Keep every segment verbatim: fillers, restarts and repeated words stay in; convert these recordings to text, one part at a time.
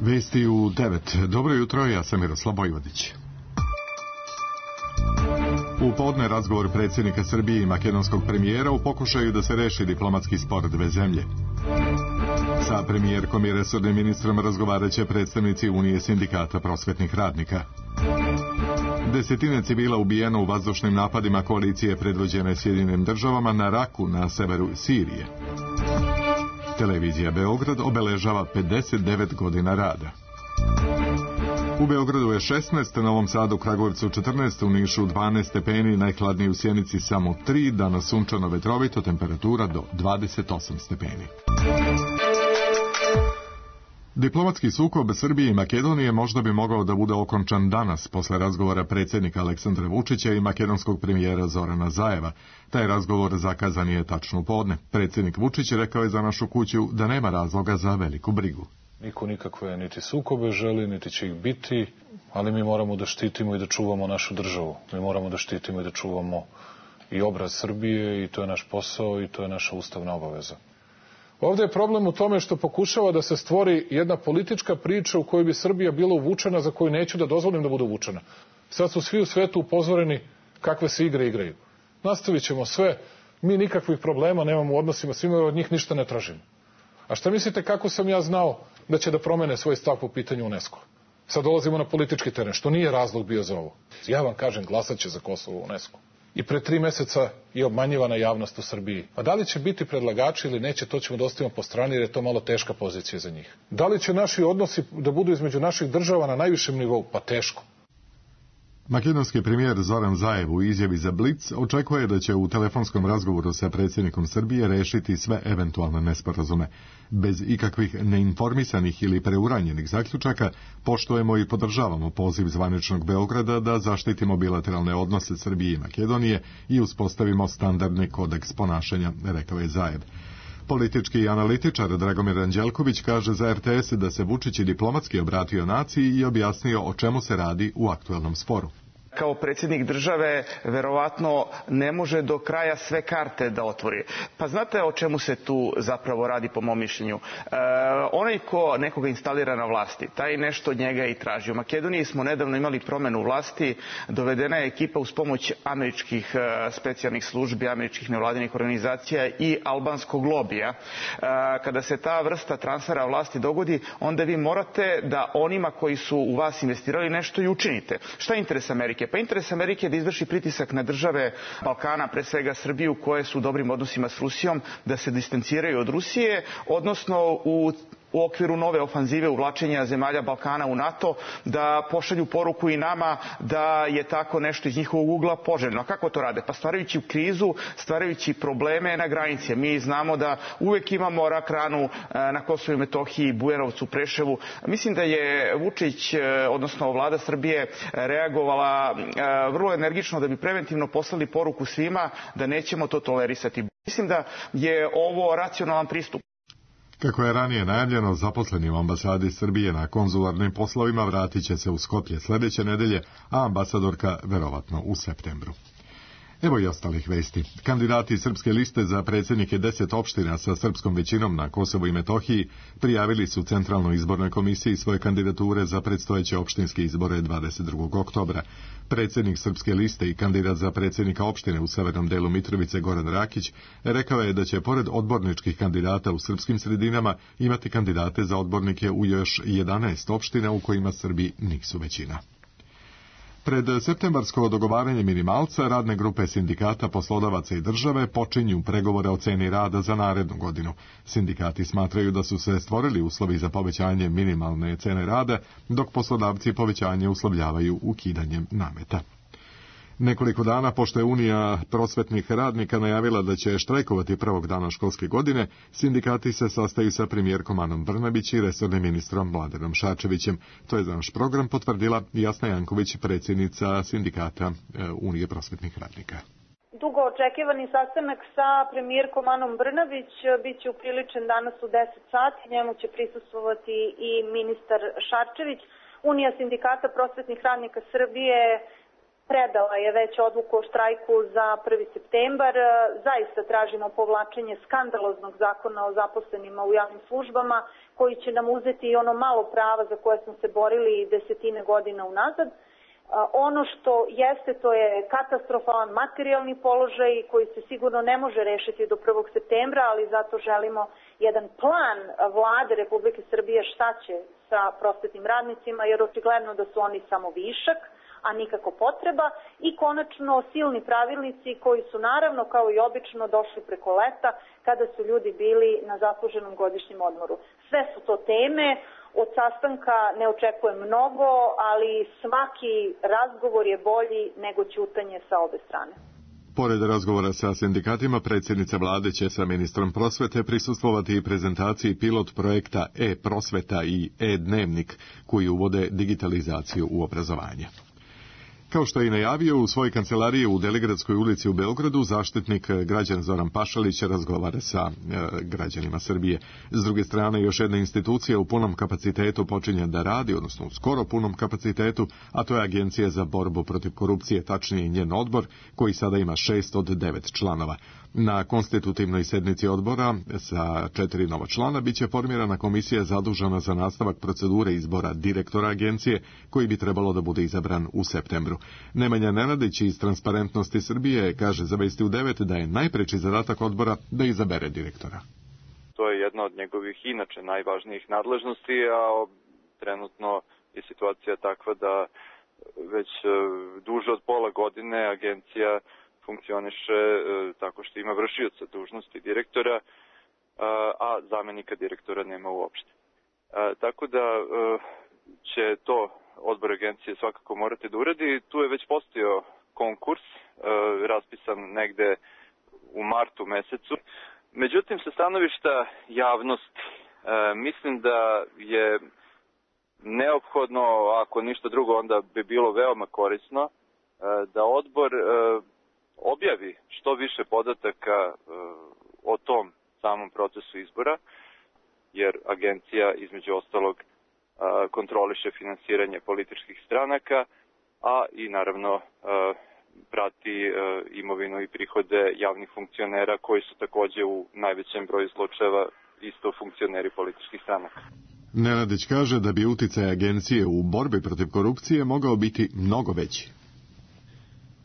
Vesti u devet. Dobro jutro, ja sam Miroslav Vojvodić. U podne razgovor predsjednika Srbije i makedonskog premijera u pokušaju da se reši diplomatski spor dve zemlje. Sa premijerkom i resornim ministrom razgovarat će predstavnici Unije sindikata prosvetnih radnika. Desetine civila ubijeno u vazdušnim napadima koalicije predvođene Sjedinjenim državama na Raku na severu Sirije. Televizija Beograd obeležava pedeset devet godina rada. U Beogradu je šesnaest, na Novom Sadu, Kragujevcu četrnaest, u Nišu dvanaest stepeni, najhladniji u Sjenici samo tri, danas sunčano vetrovito, temperatura do dvadeset osam stepeni. Diplomatski sukob Srbije i Makedonije možda bi mogao da bude okončan danas posle razgovora predsjednika Aleksandra Vučića i makedonskog premijera Zorana Zajeva. Taj razgovor zakazan je tačno u podne. Predsjednik Vučić rekao je za Našu kuću da nema razloga za veliku brigu. Niko nikakve niti sukobe želi, niti će ih biti, ali mi moramo da štitimo i da čuvamo našu državu. Mi moramo da štitimo i da čuvamo i obraz Srbije i to je naš posao i to je naša ustavna obaveza. Ovdje je problem u tome što pokušava da se stvori jedna politička priča u kojoj bi Srbija bila uvučena, za koju neću da dozvolim da bude uvučena. Sad su svi u svetu upozoreni kakve se igre igraju. Nastavit ćemo sve, mi nikakvih problema nemamo u odnosima, svima od njih ništa ne tražimo. A šta mislite kako sam ja znao da će da promene svoj stav po pitanju UNESCO? Sad dolazimo na politički teren, što nije razlog bio za ovo. Ja vam kažem, glasat će za Kosovo u UNESCO. I pre tri meseca je obmanjivana javnost u Srbiji. A da li će biti predlagači ili neće, to ćemo da ostavimo po strani jer je to malo teška pozicija za njih. Da li će naši odnosi da budu između naših država na najvišem nivou? Pa teško. Makedonski premijer Zoran Zaev u izjavi za Blic očekuje da će u telefonskom razgovoru sa predsjednikom Srbije rešiti sve eventualne nesporazume. Bez ikakvih neinformisanih ili preuranjenih zaključaka poštujemo i podržavamo poziv zvaničnog Beograda da zaštitimo bilateralne odnose Srbije i Makedonije i uspostavimo standardni kodeks ponašanja, rekao je Zaev. Politički analitičar Dragomir Anđelković kaže za R T S da se Vučić diplomatski obratio naciji i objasnio o čemu se radi u aktuelnom sporu. Kao predsjednik države verovatno ne može do kraja sve karte da otvori. Pa znate o čemu se tu zapravo radi po mom mišljenju? E, onaj ko nekoga instalira na vlasti, taj nešto od njega i traži. U Makedoniji smo nedavno imali promenu vlasti, dovedena je ekipa uz pomoć američkih e, specijalnih službi, američkih nevladinih organizacija i albanskog lobija. E, kada se ta vrsta transfera vlasti dogodi, onda vi morate da onima koji su u vas investirali nešto i učinite. Šta je interes Amerike? Pa interes Amerike je da izvrši pritisak na države Balkana, pre svega Srbiju, koje su u dobrim odnosima s Rusijom, da se distanciraju od Rusije, odnosno u u okviru nove ofanzive uvlačenja zemalja Balkana u NATO, da pošalju poruku i nama da je tako nešto iz njihovog ugla poželjno. A kako to rade? Pa stvarajući krizu, stvarajući probleme na granici. Mi znamo da uvek imamo rak ranu na Kosovu i Metohiji, Bujanovcu, Preševu. Mislim da je Vučić, odnosno vlada Srbije, reagovala vrlo energično da bi preventivno poslali poruku svima da nećemo to tolerisati. Mislim da je ovo racionalan pristup. Kako je ranije najavljeno, zaposleni u ambasadi Srbije na konzularnim poslovima vratit će se u Skoplje sljedeće nedelje, a ambasadorka verovatno u septembru. Evo i ostalih vesti. Kandidati Srpske liste za predsjednike deset opština sa srpskom većinom na Kosovu i Metohiji prijavili su Centralnoj izbornoj komisiji svoje kandidature za predstojeće opštinske izbore dvadeset drugog oktobra. Predsjednik Srpske liste i kandidat za predsjednika opštine u severnom delu Mitrovice Goran Rakić rekao je da će pored odborničkih kandidata u srpskim sredinama imati kandidate za odbornike u još jedanaest opština u kojima Srbi nisu većina. Pred septembarsko dogovaranje minimalca radne grupe sindikata, poslodavaca i države počinju pregovore o ceni rada za narednu godinu. Sindikati smatraju da su se stvorili uslovi za povećanje minimalne cene rada, dok poslodavci povećanje uslovljavaju ukidanjem nameta. Nekoliko dana pošto je Unija prosvetnih radnika najavila da će štrajkovati prvog dana školske godine, sindikati se sastaju sa premijerkom Anom Brnabić i resornim ministrom Mladenom Šarčevićem. To je za naš program potvrdila Jasna Janković, predsjednica sindikata Unije prosvetnih radnika. Dugo očekivani sastanak sa premijerkom Anom Brnabić biće upriličen danas u deset sati. Njemu će prisustvovati i ministar Šarčević. Unija sindikata prosvetnih radnika Srbije predala je već odluku o štrajku za prvi septembar. Zaista tražimo povlačenje skandaloznog zakona o zaposlenima u javnim službama koji će nam uzeti i ono malo prava za koje smo se borili desetine godina unazad. Ono što jeste, to je katastrofalan materijalni položaj koji se sigurno ne može rešiti do prvog septembra, ali zato želimo jedan plan vlade Republike Srbije šta će sa prosvetnim radnicima, jer očigledno da su oni samo višak, a nikako potreba, i konačno silni pravilnici koji su naravno kao i obično došli preko leta kada su ljudi bili na zasluženom godišnjem odmoru. Sve su to teme, od sastanka ne očekujem mnogo, ali svaki razgovor je bolji nego ćutanje sa obe strane. Pored razgovora sa sindikatima, predsjednica vlade će sa ministrom prosvete prisustvovati i prezentaciji pilot projekta e-prosveta i e-dnevnik koji uvode digitalizaciju u obrazovanje. Kao što je i najavio, u svojoj kancelariji u Delegradskoj ulici u Beogradu, zaštitnik građana Zoran Pašalić razgovara sa e, građanima Srbije. S druge strane, još jedna institucija u punom kapacitetu počinje da radi, odnosno u skoro punom kapacitetu, a to je Agencija za borbu protiv korupcije, tačnije njen odbor, koji sada ima šest od devet članova. Na konstitutivnoj sednici odbora sa četiri nova člana biće formirana komisija zadužena za nastavak procedure izbora direktora agencije, koji bi trebalo da bude izabran u septembru. Nemanja Nenadić iz Transparentnosti Srbije kaže za Vesti u devet da je najpreči zadatak odbora da izabere direktora. To je jedna od njegovih inače najvažnijih nadležnosti, a trenutno je situacija takva da već duže od pola godine agencija funkcioniše tako što ima vršioca dužnosti direktora, a zamenika direktora nema uopšte. Tako da će to odbor agencije svakako morati da uradi. Tu je već postojao konkurs, raspisan negde u martu mesecu. Međutim, sa stanovišta javnosti, mislim da je neophodno, ako ništa drugo, onda bi bilo veoma korisno, da odbor objavi što više podataka o tom samom procesu izbora, jer agencija između ostalog kontroliše finansiranje političkih stranaka, a i naravno prati imovinu i prihode javnih funkcionera koji su takođe u najvećem broju slučajeva isto funkcioneri političkih stranaka. Nenadić kaže da bi uticaj agencije u borbi protiv korupcije mogao biti mnogo veći.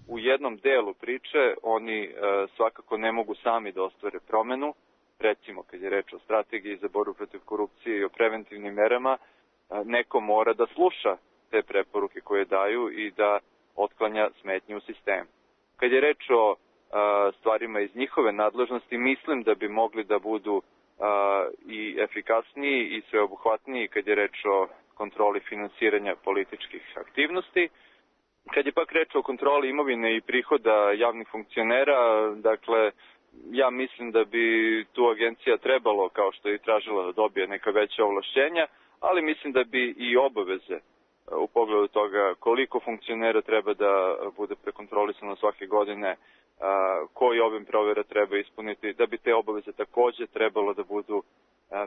U jednom delu priče oni e, svakako ne mogu sami da ostvare promenu, recimo kad je reč o strategiji za borbu protiv korupcije i o preventivnim merama, e, neko mora da sluša te preporuke koje daju i da otklanja smetnje u sistemu. Kad je reč o e, stvarima iz njihove nadležnosti, mislim da bi mogli da budu e, i efikasniji i sveobuhvatniji kad je reč o kontroli finansiranja političkih aktivnosti. Kad je pak reč o kontroli imovine i prihoda javnih funkcionera, dakle, ja mislim da bi tu agencija trebalo, kao što je i tražila, da dobije neka veća ovlašćenja, ali mislim da bi i obaveze u pogledu toga koliko funkcionera treba da bude prekontrolisano svake godine, koji obim provjera treba ispuniti, da bi te obaveze takođe trebalo da budu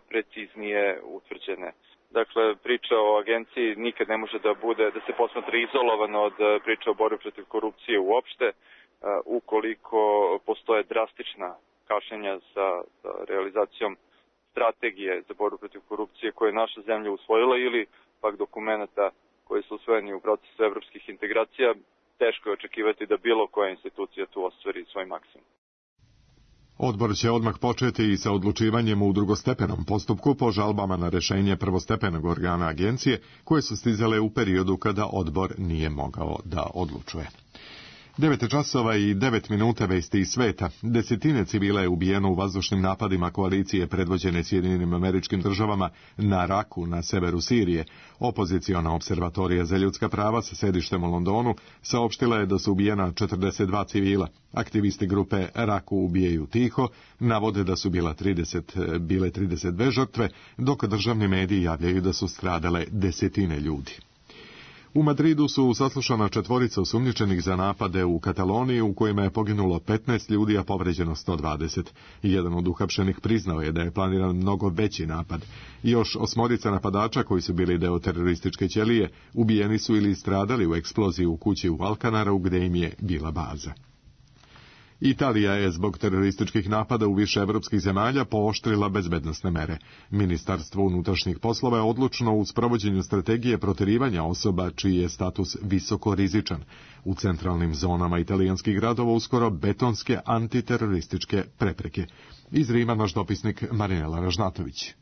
preciznije utvrđene. Dakle, priča o agenciji nikad ne može da bude, da se posmatra izolovano od priče o borbi protiv korupcije uopšte, ukoliko postoje drastična kašnjenja sa, sa realizacijom strategije za borbu protiv korupcije koje je naša zemlja usvojila ili pak dokumenta koji su usvojeni u procesu evropskih integracija, teško je očekivati da bilo koja institucija tu ostvari svoj maksimum. Odbor će odmah početi i sa odlučivanjem u drugostepenom postupku po žalbama na rešenje prvostepenog organa agencije koje su stizale u periodu kada odbor nije mogao da odlučuje. Devet časova i devet minuta vesti iz sveta. Desetine civila je ubijeno u vazdušnim napadima koalicije predvođene Sjedinjenim Američkim Državama na Raku na severu Sirije. Opoziciona observatorija za ljudska prava sa sedištem u Londonu saopštila je da su ubijena četrdeset dva civila. Aktivisti grupe Raku ubijaju tiho navode da su bila trideset, bile trideset dve žrtve, dok državni mediji javljaju da su stradale desetine ljudi. U Madridu su saslušana četvorica osumnjičenih za napade u Kataloniji u kojima je poginulo petnaest ljudi, a povređeno sto dvadeset. Jedan od uhapšenih priznao je da je planiran mnogo veći napad. Još osmorica napadača koji su bili deo terorističke ćelije ubijeni su ili stradali u eksploziji u kući u Alcanaru gde im je bila baza. Italija je zbog terorističkih napada u više evropskih zemalja pooštrila bezbednosne mere. Ministarstvo unutrašnjih poslova je odlučno u sprovođenju strategije proterivanja osoba čiji je status visoko rizičan. U centralnim zonama italijanskih gradova uskoro betonske antiterorističke prepreke. Iz Rima naš dopisnik Marinela Ražnatović.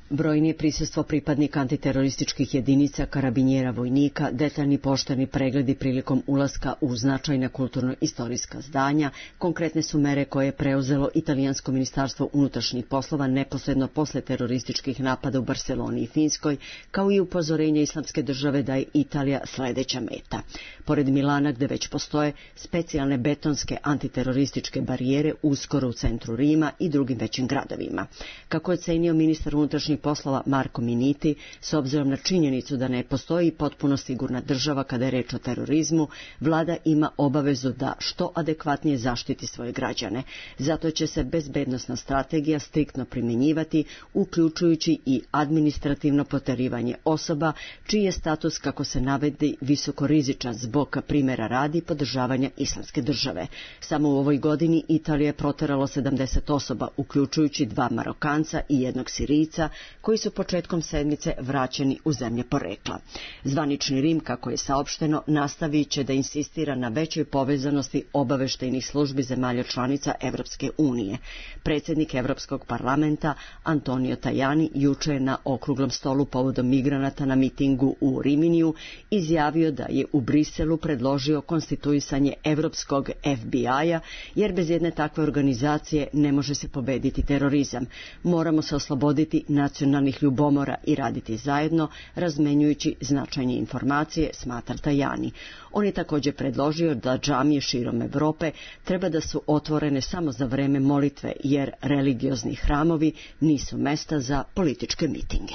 Brojnije prisustvo pripadnika antiterorističkih jedinica, karabinjera, vojnika, detaljni pošteni pregledi prilikom ulaska u značajna kulturno-istorijska zdanja, konkretne su mere koje je preuzelo italijansko ministarstvo unutrašnjih poslova neposredno posle terorističkih napada u Barseloni i Finskoj, kao i upozorenje Islamske države da je Italija sledeća meta. Pored Milana, gde već postoje specijalne betonske antiterorističke barijere uskoro u centru Rima i drugim većim gradovima. Kako je ocenio ministar unutrašnjih poslova Marko Minniti, s obzirom na činjenicu da ne postoji potpuno sigurna država kada je reč o terorizmu, vlada ima obavezu da što adekvatnije zaštiti svoje građane. Zato će se bezbednosna strategija striktno primjenjivati, uključujući i administrativno proterivanje osoba čiji je status, kako se navedi, visokorizičan zbog primjera radi podržavanja Islamske države. Samo u ovoj godini Italija je proteralo sedamdeset osoba, uključujući dva Marokanca i jednog Sirijca, koji su početkom sedmice vraćeni u zemlje porekla. Zvanični Rim, kako je saopšteno, nastavit će da insistira na većoj povezanosti obaveštajnih službi zemalja članica Evropske unije. Predsjednik Evropskog parlamenta Antonio Tajani juče je na okruglom stolu povodom migranata na mitingu u Riminiju izjavio da je u Briselu predložio konstituisanje Evropskog F B I-a, jer bez jedne takve organizacije ne može se pobediti terorizam. Moramo se osloboditi nacionalnih ljubomora i raditi zajedno, razmenjujući značajne informacije, smatra Tajani. On je također predložio da džamije širom Evrope treba da su otvorene samo za vreme molitve, jer religiozni hramovi nisu mesta za političke mitinge.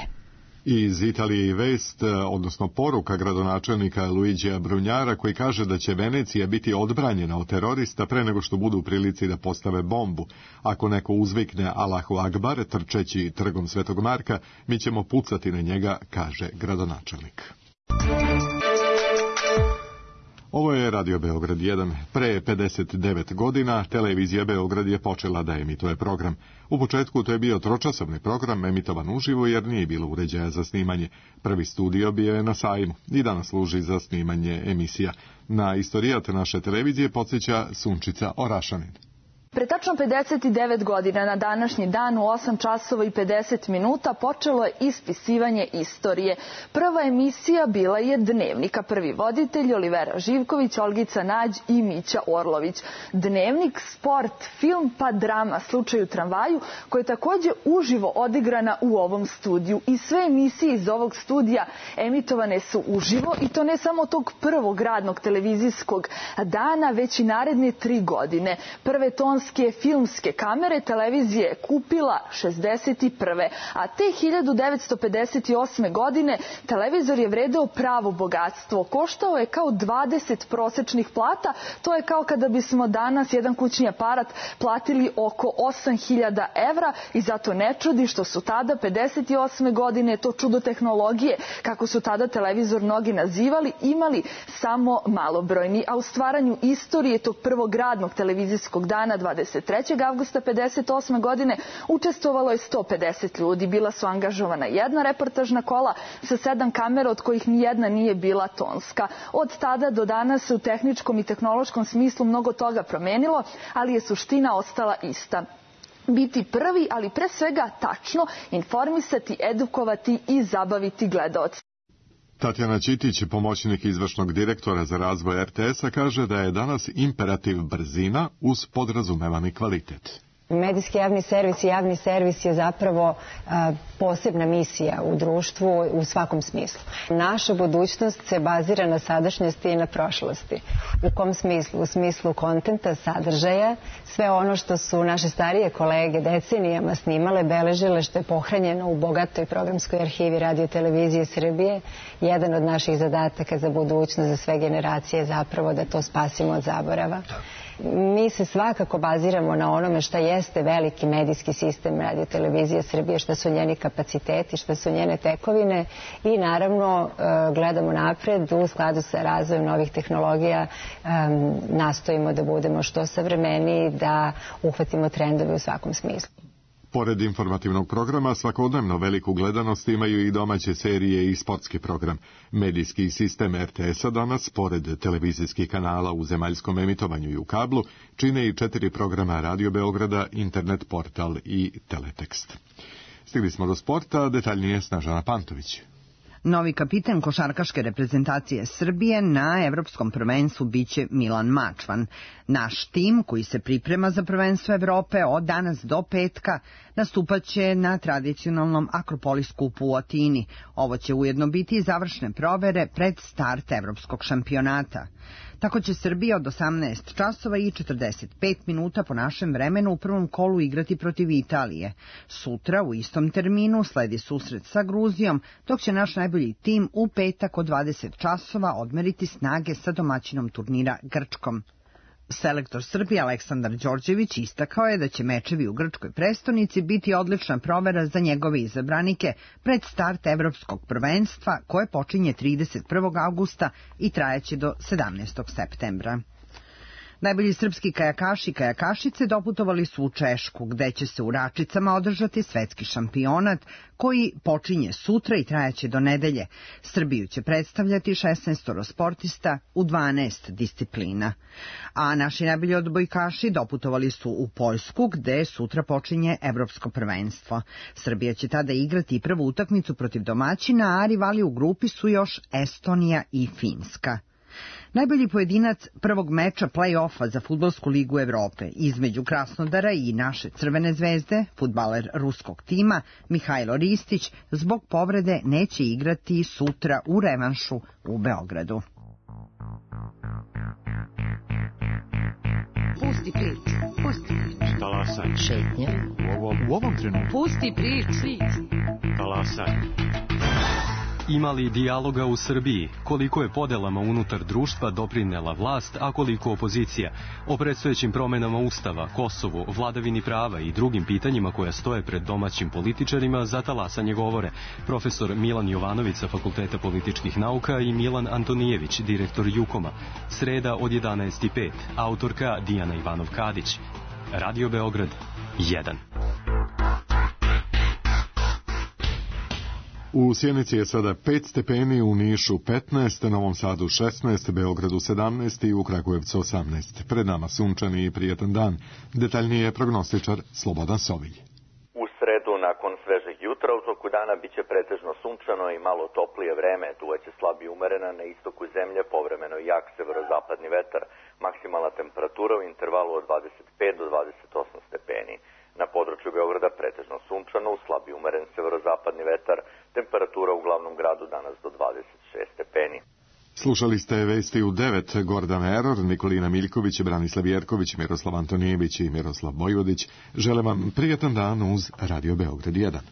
Iz Italije i vest, odnosno poruka gradonačelnika Luigija Brunjara, koji kaže da će Venecija biti odbranjena od terorista pre nego što budu u prilici da postave bombu. Ako neko uzvikne Allahu Akbar trčeći trgom Svetog Marka, mi ćemo pucati na njega, kaže gradonačelnik. Ovo je Radio Beograd jedan. Pre pedeset devet godina televizija Beograd je počela da emituje program. U početku to je bio tročasovni program emitovan uživo jer nije bilo uređaja za snimanje. Prvi studio bio je na Sajmu i danas služi za snimanje emisija. Na istorijat naše televizije podsjeća Sunčica Orašanin. Pre tačno pedeset devet godina na današnji dan u osam časova i pedeset minuta počelo je ispisivanje istorije. Prva emisija bila je Dnevnika. Prvi voditelj Olivera Živković, Olgica Nađ i Mića Orlović. Dnevnik, sport, film pa drama Slučaj u tramvaju, koja je također uživo odigrana u ovom studiju. I sve emisije iz ovog studija emitovane su uživo i to ne samo tog prvog radnog televizijskog dana, već i naredne tri godine. Prve ton filmske kamere televizije je kupila šezdeset prve. A te hiljadu devetsto pedeset osme. godine televizor je vredeo pravo bogatstvo. Koštao je kao dvadeset prosečnih plata. To je kao kada bismo danas jedan kućni aparat platili oko osam hiljada evra i zato ne čudi što su tada pedeset osme. godine, to čudo tehnologije, kako su tada televizor mnogi nazivali, imali samo malobrojni. A u stvaranju istorije tog prvog radnog televizijskog dana dvadeset trećeg avgusta pedeset osme. godine učestvovalo je sto pedeset ljudi. Bila su angažovana jedna reportažna kola sa sedam kamera, od kojih nijedna nije bila tonska. Od tada do danas se u tehničkom i tehnološkom smislu mnogo toga promenilo, ali je suština ostala ista. Biti prvi, ali pre svega tačno, informisati, edukovati i zabaviti gledaoce. Tatjana Ćitić, pomoćnik izvršnog direktora za razvoj R T S-a, kaže da je danas imperativ brzina uz podrazumevani kvalitet. Medijski javni servis i javni servis je zapravo a, posebna misija u društvu u svakom smislu. Naša budućnost se bazira na sadašnjosti i na prošlosti. U kom smislu? U smislu kontenta, sadržaja, sve ono što su naše starije kolege decenijama snimale, beležile, što je pohranjeno u bogatoj programskoj arhivi Radio Televizije Srbije. Jedan od naših zadataka za budućnost, za sve generacije je zapravo da to spasimo od zaborava. Mi se svakako baziramo na onome šta jeste veliki medijski sistem Radio Televizije Srbije, šta su njeni kapaciteti, šta su njene tekovine i naravno gledamo napred u skladu sa razvojem novih tehnologija, nastojimo da budemo što savremeniji, da uhvatimo trendove u svakom smislu. Pored informativnog programa, svakodnevno veliku gledanost imaju i domaće serije i sportski program. Medijski sistem er te es-a danas, pored televizijskih kanala u zemaljskom emitovanju i u kablu, čine i četiri programa Radio Beograda, internet portal i teletekst. Stigli smo do sporta, detaljnije Snežana Pantović. Novi kapitan košarkaške reprezentacije Srbije na evropskom prvenstvu biće Milan Mačvan. Naš tim, koji se priprema za prvenstvo Evrope od danas do petka, nastupaće na tradicionalnom Akropolis skupu u Atini. Ovo će ujedno biti i završne provere pred start evropskog šampionata. Tako će Srbija od osamnaest časova i četrdeset pet minuta po našem vremenu u prvom kolu igrati protiv Italije. Sutra u istom terminu sledi susret sa Gruzijom, dok će naš najbolji tim u petak od dvadeset časova odmeriti snage sa domaćinom turnira Grčkom. Selektor Srbije Aleksandar Đorđević istakao je da će mečevi u grčkoj prestonici biti odlična provera za njegove izabranike pred start evropskog prvenstva koje počinje trideset prvog avgusta i trajaće do sedamnaestog septembra. Najbolji srpski kajakaši i kajakašice doputovali su u Češku, gde će se u Račicama održati svetski šampionat koji počinje sutra i trajaće do nedelje. Srbiju će predstavljati šesnaest sportista u dvanaest disciplina. A naši najbolji odbojkaši doputovali su u Poljsku, gde sutra počinje evropsko prvenstvo. Srbija će tada igrati i prvu utakmicu protiv domaćina, a rivali u grupi su još Estonija i Finska. Najbolji pojedinac prvog meča play-offa za Fudbalsku ligu Evrope između Krasnodara i naše Crvene zvezde, fudbaler ruskog tima Mihajlo Ristić zbog povrede neće igrati sutra u revanšu u Beogradu. Pusti priču, pusti priču. Talasaj. Šetnja. U ovom, u ovom trenutku. Pusti priču. Talasaj. Ima li dijaloga u Srbiji? Koliko je podelama unutar društva doprinela vlast, a koliko opozicija? O predstojećim promenama Ustava, Kosovu, vladavini prava i drugim pitanjima koja stoje pred domaćim političarima za talasanje govore profesor Milan Jovanović sa Fakulteta političkih nauka i Milan Antonijević, direktor Jukoma. Sreda od jedanaest i pet. Autorka Dijana Ivanov-Kadić. Radio Beograd jedan. U Sjenici je sada pet stepeni, u Nišu petnaest, Novom Sadu šesnaest, Beogradu sedamnaest i u Kragujevcu osamnaest. Pred nama sunčani i prijetan dan. Detaljnije prognostičar Slobodan Sovilj. U sredu, nakon svežeg jutra, u toku dana biće pretežno sunčano i malo toplije vreme. Duvaće slab i umerena, na istoku zemlje povremeno jak severozapadni vetar. Maksimalna temperatura u intervalu od dvadeset pet do dvadeset osam stepeni. Na području Beograda pretežno sunčano, u slab i umeren severozapadni vetar, temperatura u glavnom gradu danas do dvadeset šest stepeni. Slušali ste vesti u devet, Gordan Eror, Nikolina Miljković, Branislav Jerković, Miroslav Antonijević i Miroslav Bojvodić. Žele vam prijetan dan uz Radio Beograd jedan.